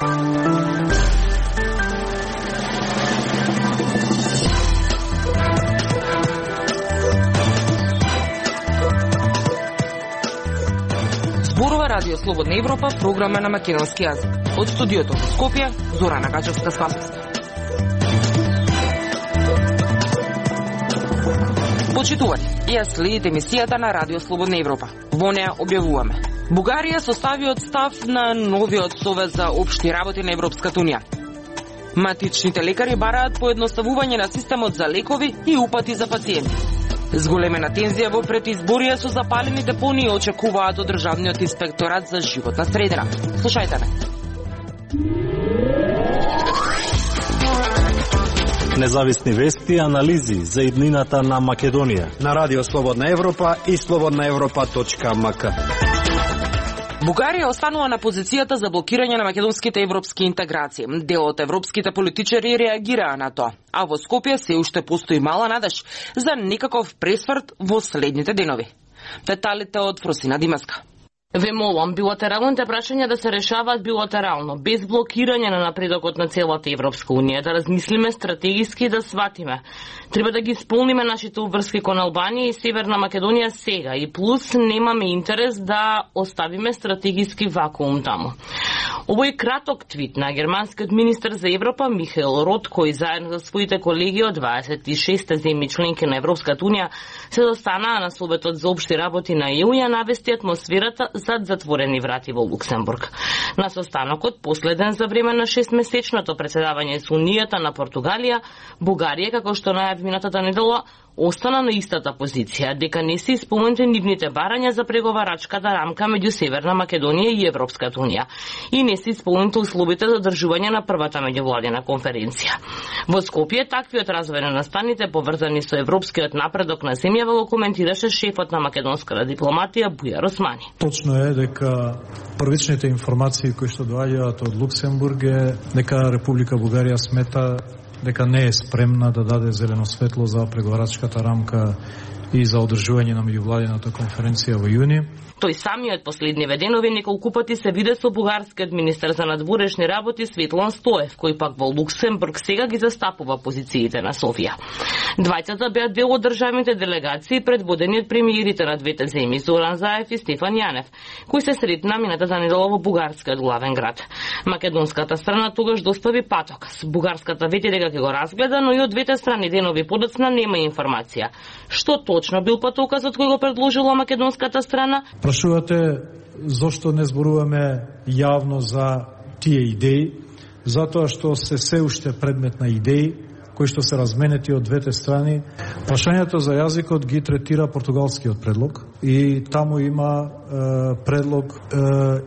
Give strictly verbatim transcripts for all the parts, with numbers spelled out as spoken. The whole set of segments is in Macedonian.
Зборува Радио Слободна Европа, програма на македонски јазик. Од студиото во Скопје, Зорана Гаџевска-Спасовска. Почитувани, ја следите емисијата на Радио Слободна Европа. Во неа објавуваме: Бугарија составиот став на новиот Совет за општи работи на Европската унија. Матичните лекари бараат поедноставување на системот за лекови и упати за пациенти. Зголемена тензија во предизборија со запалени депонии очекуваат од Државниот инспекторат за животна средина. Слушајте ме. Независни вести и анализи за иднината на Македонија на Радио Слободна Европа и слободна европа точка ем ка. Бугарија останува на позицијата за блокирање на македонските европски интеграции. Дел од европските политичари реагираа на тоа, а во Скопје се уште постои мала надеж за некаков пресврт во следните денови. Деталите од Фросина Димаска. Ве молам, билатералните прашања да се решаваат билатерално, без блокирање на напредокот на целата Европска унија, да размислиме стратегиски и да сватиме. Треба да ги исполниме нашите обврски кон Албанија и Северна Македонија сега, и плюс немаме интерес да оставиме стратегиски вакуум таму. Овој краток твит на германскиот министер за Европа Михаел Рот, кој заедно со своите колеги од дваесет и шест земји членки на Европската унија се достанаа на Советот за општи работи на Е У, ја навести атмосферата зад затворени врати во Луксембург. На состанокот, последен за време на шестмесечното председавање со Унијата на Португалија, Бугарија, како што најави минатата недела, остана на истата позиција, дека не се исполнети нивните барања за преговарачката рамка меѓу Северна Македонија и Европската унија и не се исполнети условите за одржување на првата меѓувладина конференција. Во Скопје таквиот развој на настаните поврзани со европскиот напредок на земјава го коментираше шефот на македонската дипломатија Бујар Османи. Точно е дека првичните информации кои што доаѓаат од Луксембург е дека Република Бугарија смета дека не е спремна да даде зелено светло за преговарачката рамка и за одржување на меѓувладината конференција во јуни. Тој самиот последниве денови неколку пати се виде со бугарскиот министер за надворешни работи Светлан Стоев, кој пак во Луксембург сега ги застапува позициите на Софија. Двајцата беа дел од државните делегации предводени од премиерите на двете земји Зоран Заев и Стефан Јанев, кои се сретна минатата недела во бугарскиот главен град. Македонската страна тогаш достави патоказ. Бугарската вети дека ќе го разгледа, но и од двете страни денови подоцна нема информација. Што точно бил патоказот кој го предложила македонската страна? Прашувате зошто не зборуваме јавно за тие идеи, затоа што се се уште предмет на идеи кои што се разменети од двете страни. Прашањето за јазикот ги третира португалскиот предлог и таму има е, предлог е,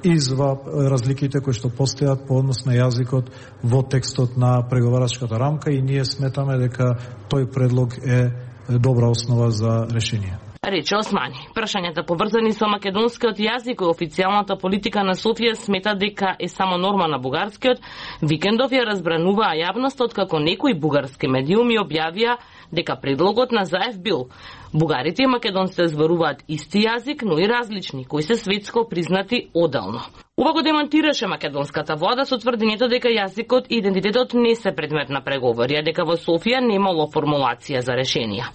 изва разликите кои што постојат по однос на јазикот во текстот на преговарачката рамка и ние сметаме дека тој предлог е добра основа за решение. Рече Османи. Прашањата поврзани со македонскиот јазик и официјалната политика на Софија смета дека е само норма на бугарскиот, викендов ја разбрануваа јавностот како некои бугарски медиуми објавија дека предлогот на Заев бил: бугарите и македонците зборуваат исти јазик, но и различни, кои се светско признати оделно. Ова го демонтираше македонската влада со тврдењето дека јазикот и идентитетот не се предмет на преговори, а дека во Софија немало формулација за решенија.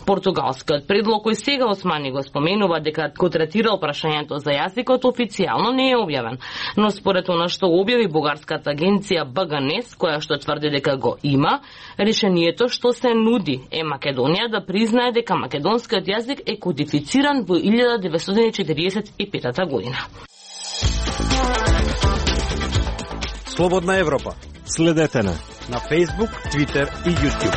Португалскиот предлог кој сега Османи го споменува дека го третирал прашањето за јазикот официјално не е објавен, но според она што објави бугарската агенција Б Г Н Е С, која што тврди дека го има, решението што се нуди е Македонија да признае дека македонскиот јазик е кодифициран во илјада деветстотини и четиридесет и пета година. Слободна Европа. Следете на на Facebook, Twitter и YouTube.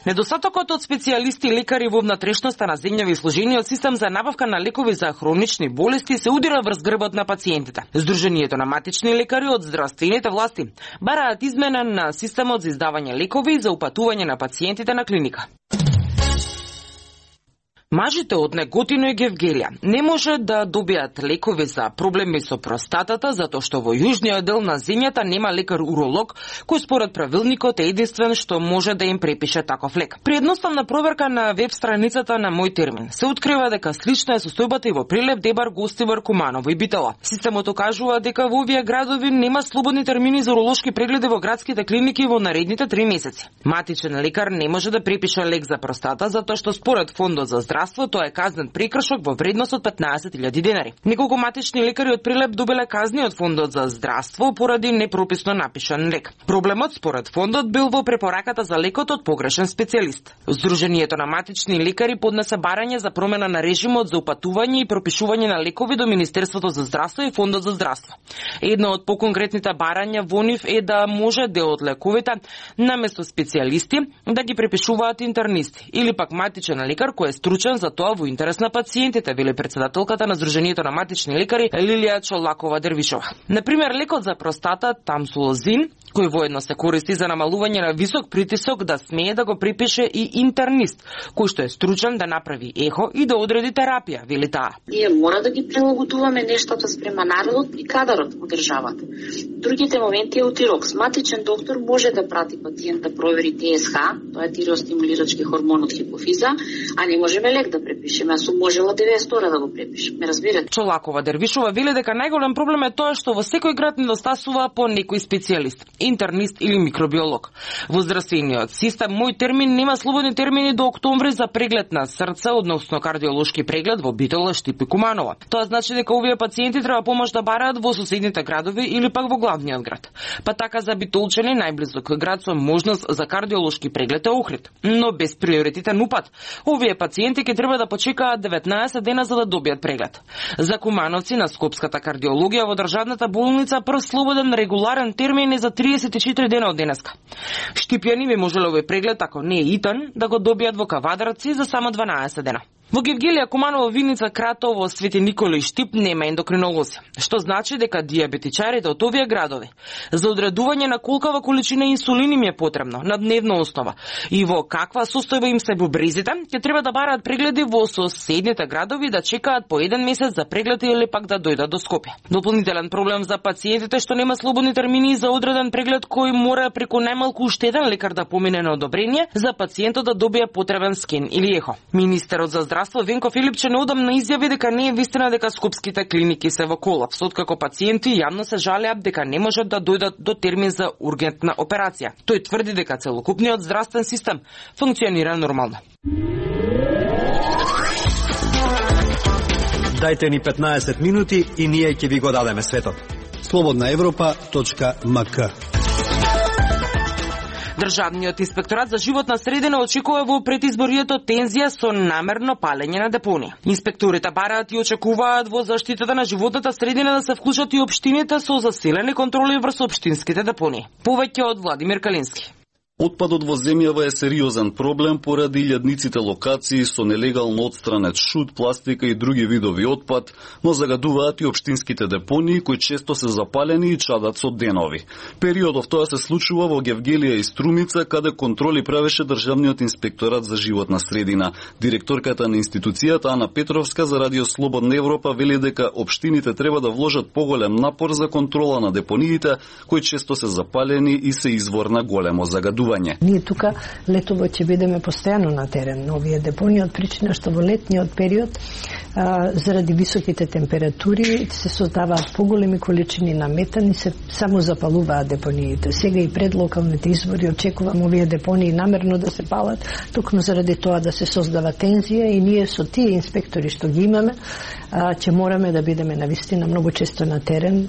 Недостатокот од специјалисти и лекари во внатрешноста на земјава и служениот систем за набавка на лекови за хронични болести се удира врз грбот на пациентите. Сдруженијето на матични лекари од здравствените власти бараат измена на системот за издавање лекови и за упатување на пациентите на клиника. Мажите од Неготино и Гевгелија не може да добијат лекови за проблеми со простатата затоа што во јужниот дел на земјата нема лекар-уролог кој според правилникот е единствен што може да им препише таков лек. При едноставна проверка на веб страницата на Мој термин се открива дека слична е состојбата и во Прилеп, Дебар, Гостивар, Куманово и Битола. Системот окажува дека во овие градови нема слободни термини за уролошки прегледи во градските клиники во наредните три месеци. Матичен лекар не може да препише лек за простата затоа што според Фондот за здравство тоа е казнен прекршок во вредност од петнаесет илјади денари. Неколку матични лекари од Прилеп добиле казни од Фондот за здравство поради непрописно напишан лек. Проблемот според Фондот бил во препораката за лекот од погрешен специјалист. Сдруженијето на матични лекари поднесе барање за промена на режимот за упатување и пропишување на лекови до Министерството за здравство и Фондот за здравство. Едно од поконкретните барања во нив е да може дел од лековите наместо специјалисти да ги препишуваат интернисти или пак матичен лекар кој е стручен за тоа во интерес на пациентите, вели председателката на Сдруженијето на матични лекари Лилија Чолакова Дервишова. Например, лекот за простата тамсулозин, кој воедно се користи за намалување на висок притисок, да смее да го припише и интернист, кој што е стручен да направи ехо и да одреди терапија, вели таа. Ние мора да ги прилагодуваме нештата спрема народот и кадарот во државата. Другите моменти е утирокс. Матичен доктор може да прати пациент да провери Т С Х, тоа е тиреостимулирачки хормон од хипофиза, а не можеме лек да препишеме, а сум можела деветдесет ора да го препишем. Ме разбирате? Чолакова Дервишова вели дека најголем проблем е тоа што во секој град недостасува по некој специјалист, интернист или микробиолог. Во здравствениот систем Мој термин нема слободни термини до октомври за преглед на срце, односно кардиолошки преглед во Битола, Штип и Куманово. Тоа значи дека овие пациенти треба помош да бараат во соседните градови или пак во главниот град. Па така за битолчани најблизок град со можност за кардиолошки преглед е Охрид, но без приоритетен упат. Овие пациенти ќе треба да почекаат деветнаесет дена за да добијат преглед. За кумановци на Скопската кардиологија во државната болница прв слободен регуларен термин е за триесет и четири дена од денеска. Штипјани би можеле овој преглед, ако не е итан, да го добијат во Кавадарци за само дванаесет дена. Во Гевгелија, Куманово, Виница, Кратово, Свети Никола и Штип нема ендокринолози, што значи дека дијабетичарите од овие градови за одредување на колкава количина инсулин им е потребно на дневна основа и во каква состојба им се бубрезите, ќе треба да бараат прегледи во соседните градови, да чекаат по еден месец за преглед или пак да дојдат до Скопје. Дополнителен проблем за пациентите што нема слободни термини за одреден преглед кој мора преку најмалку уште еден лекар да помине на одобрение за пациентот да добие потребен скен или ехо. Министерот за здравство Венко Филипче неодамна изјави дека не е вистина дека скопските клиники се во колапс, откако пациенти јавно се жалеат дека не можат да дојдат до термин за ургентна операција. Тој тврди дека целокупниот здравствен систем функционира нормално. Дајте ни петнаесет минути и ние ќе ви го дадеме светот. слободна европа точка м к. Државниот инспекторат за животна средина очекува во предизборието тензија со намерно палење на депонија. Инспекторите бараат и очекуваат во заштитата на животната средина да се вклучат и општините со засилени контроли врз општинските депонии. Повеќе од Владимир Калински. Отпадот во земјава е сериозен проблем поради илјадниците локации со нелегално отстранет шут, пластика и други видови отпад, но загадуваат и општинските депонии кои често се запалени и чадат со денови. Периодов тоа се случува во Гевгелија и Струмица, каде контроли правеше Државниот инспекторат за животна средина. Директорката на институцијата Ана Петровска за Радио Слободна Европа вели дека општините треба да вложат поголем напор за контрола на депониите кои често се запалени и се извор на големо загадување. Ние тука летово ќе бидеме постојано на терен на овие депонии, од причина што во летниот период а, заради високите температури се создаваат поголеми количини на метан и се само запалуваат депониите. Сега и пред локалните избори очекувам овие депонии намерно да се палат, токму заради тоа да се создава тензија и ние со тие инспектори што ги имаме, а, ќе мораме да бидеме навистина многу често на терен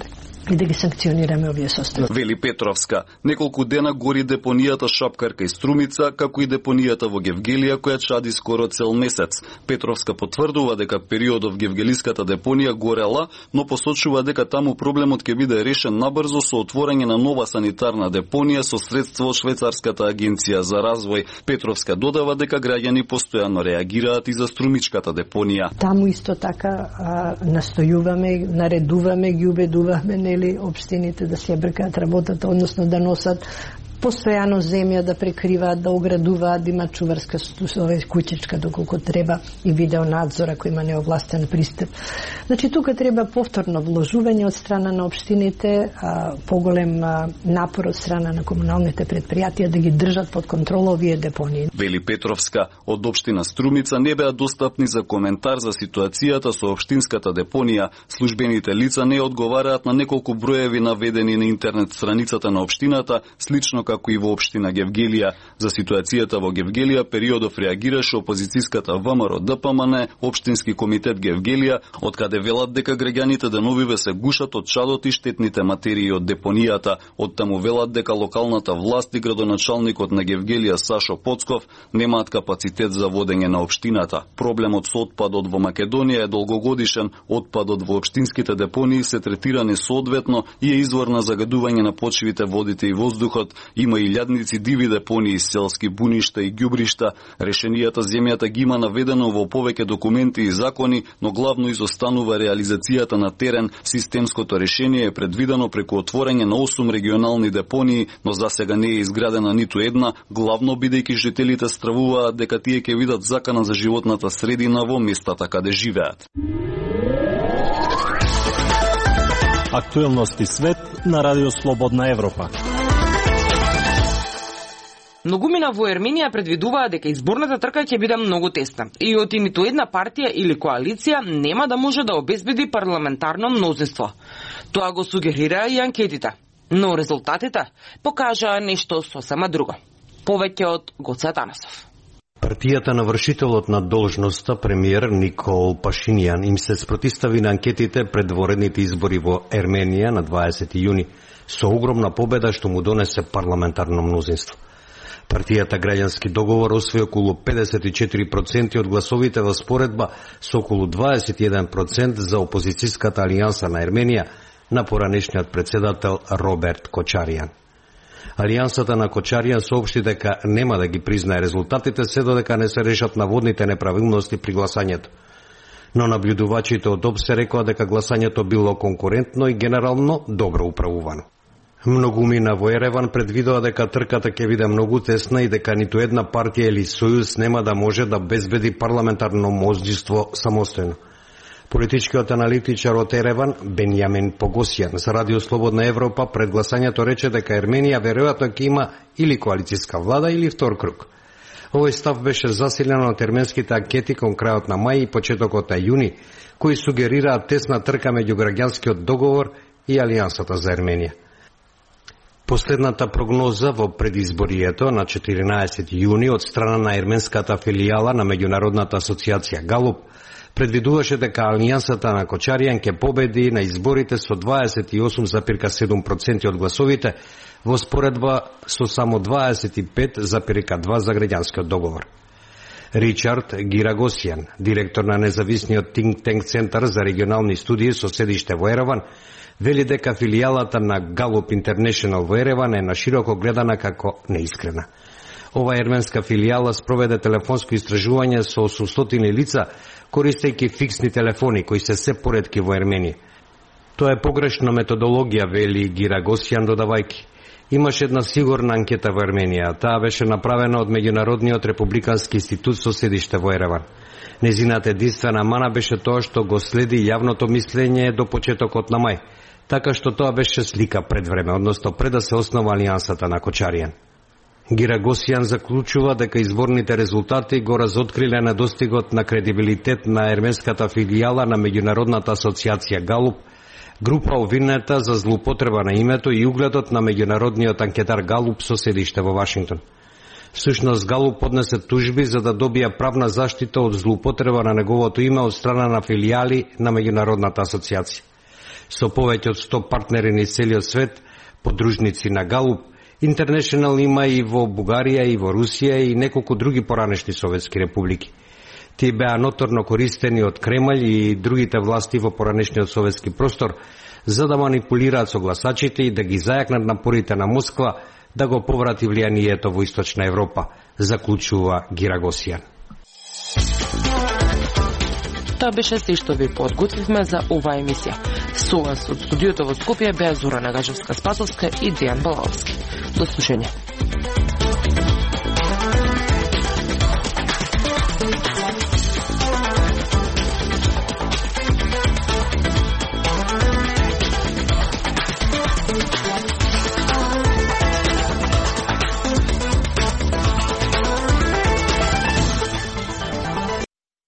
и да ги санкционираме овие состојби. Вели Петровска, неколку дена гори депонијата Шапкарка и Струмица, како и депонијата во Гевгелија која чади скоро цел месец. Петровска потврдува дека периодов Гевгелиската депонија горела, но посочува дека таму проблемот ќе биде решен набрзо со отворање на нова санитарна депонија со средства од Швајцарската агенција за развој. Петровска додава дека граѓани постојано реагираат и за Струмичката депонија. Таму исто така а, настојуваме, наредуваме, ги убедуваме или општините да се бркаат работата, односно да носат постојано земја да прекриваат, да оградуваат, да има чуварска куќичка доколку треба и видеонадзор ако има неовластен пристап. Значи тука треба повторно вложување од страна на општините, а, поголем а, напор од страна на комуналните предпријатија да ги држат под контрола овие депонии. Вели Петровска, од општина Струмица не беа достапни за коментар за ситуацијата со општинската депонија. Службените лица не одговараат на неколку броеви наведени на интернет страницата на општината, слично како и во општина Гевгелија. За ситуацијата во Гевгелија периодов реагираше опозицијската ВМРО ДПМН, општински комитет Гевгелија, од каде велат дека граѓаните деновиве се гушат од чадот и штетните материи од депонијата. Од таму велат дека локалната власт и градоначалникот на Гевгелија Сашо Поцков немаат капацитет за водење на општината. Проблемот со отпадот во Македонија е долгогодишен. Отпадот во општинските депонии се третирани соодветно и е извор на загадување на почвите, водите и воздухот. Има илјадници диви депонии, селски буништа и ѓубришта. Решенијата земјата ги има наведено во повеќе документи и закони, но главно изостанува реализацијата на терен. Системското решение е предвидено преку отворање на осум регионални депонии, но засега не е изградена ниту една, главно бидејќи жителите стравуваат дека тие ќе видат закана за животната средина во местата каде живеат. Актуелности свет на Радио Слободна Европа. Многумина во Ерменија предвидуваат дека изборната трка ќе биде многу тесна и од ниту една партија или коалиција нема да може да обезбеди парламентарно мнозинство. Тоа го сугерира и анкетите, но резултатите покажаа нешто сосема друго. Повеќе од Гоце Атанасов. Партијата на вршителот на должноста, премиер Никол Пашинијан, им се спротистави на анкетите пред воредните избори во Ерменија на дваесети јуни, со огромна победа што му донесе парламентарно мнозинство. Партијата Граѓански договор освои околу педесет и четири проценти од гласовите во споредба со околу дваесет и еден процент за опозицијската алијанса на Ерменија на поранешниот председател Роберт Кочаријан. Алијансата на Кочаријан соопшти дека нема да ги признае резултатите се додека не се решат наводните неправилности при гласањето. Но наблюдувачите од ОПСЕ рекоа дека гласањето било конкурентно и генерално добро управувано. Многумина во Ереван предвидува дека трката ќе биде многу тесна и дека ниту една партија или сојуз нема да може да безбеди парламентарно мнозинство самостојно. Политичкиот аналитичар од Ереван, Бенјамин Погосијан, за Радио Слободна Европа пред гласањето рече дека Ерменија веројатно ќе има или коалицијска влада или втор круг. Овој став беше засилен од ерменските анкети кон крајот на мај и почетокот на јуни, кои сугерираат тесна трка меѓу граѓанскиот договор и Алијансата за Ерменија. Последната прогноза во предизборието на четиринаесети јуни од страна на ерменската филијала на меѓународната асоциација Галуп предвидуваше дека Алијансата на Кочаријан ќе победи на изборите со дваесет и осум зарез седум проценти од гласовите во споредба со само дваесет и пет зарез два за граѓанскиот договор. Ричард Гирагосијан, директор на независниот Think Tank Центар за регионални студии со седиште во Ереван, вели дека филијалата на Галуп Интернешнл во Ереван е нашироко гледана како неискрена. Ова ерменска филијала спроведе телефонско истражување со осумстотини лица, користејќи фиксни телефони кои се се поретки во Ерменија. Тоа е погрешна методологија, вели Гирагосијан додавајќи. Имаше една сигурна анкета во Ерменија, таа беше направена од Меѓународниот републикански институт со седиште во Ереван. Незината единствена мана беше тоа што го следи јавното мислење до почетокот на мај, така што тоа беше слика пред време, односно пред да се основа Алијансата на Кочаријан. Гирагосијан заклучува дека изборните резултати го разоткриле недостигот на кредибилитет на ерменската филијала на меѓународната асоциација Галуп, група обвинета за злоупотреба на името и угледот на меѓународниот анкетар Галуп со седиште во Вашингтон. Всушност Галуп поднесе тужби за да добија правна заштита од злоупотреба на неговото име од страна на филијали на меѓународната асоциација. Со повеќе од сто партнери низ целиот свет, подружници на Галуп, Интернешнл има и во Бугарија, и во Русија и неколку други поранешни советски републики. Тие беа ноторно користени од Кремљ и другите власти во поранешниот советски простор за да манипулираат со гласачите и да ги зајакнат напорите на Москва да го поврати влијанието во Источна Европа, заклучува Гирагосијан. Тоа беше се што ви подготвивме за оваа емисија. Со вас од студиото во Скопје беа Зора Нагажевска-Спасовска и Дејан Балаловски. До слушање.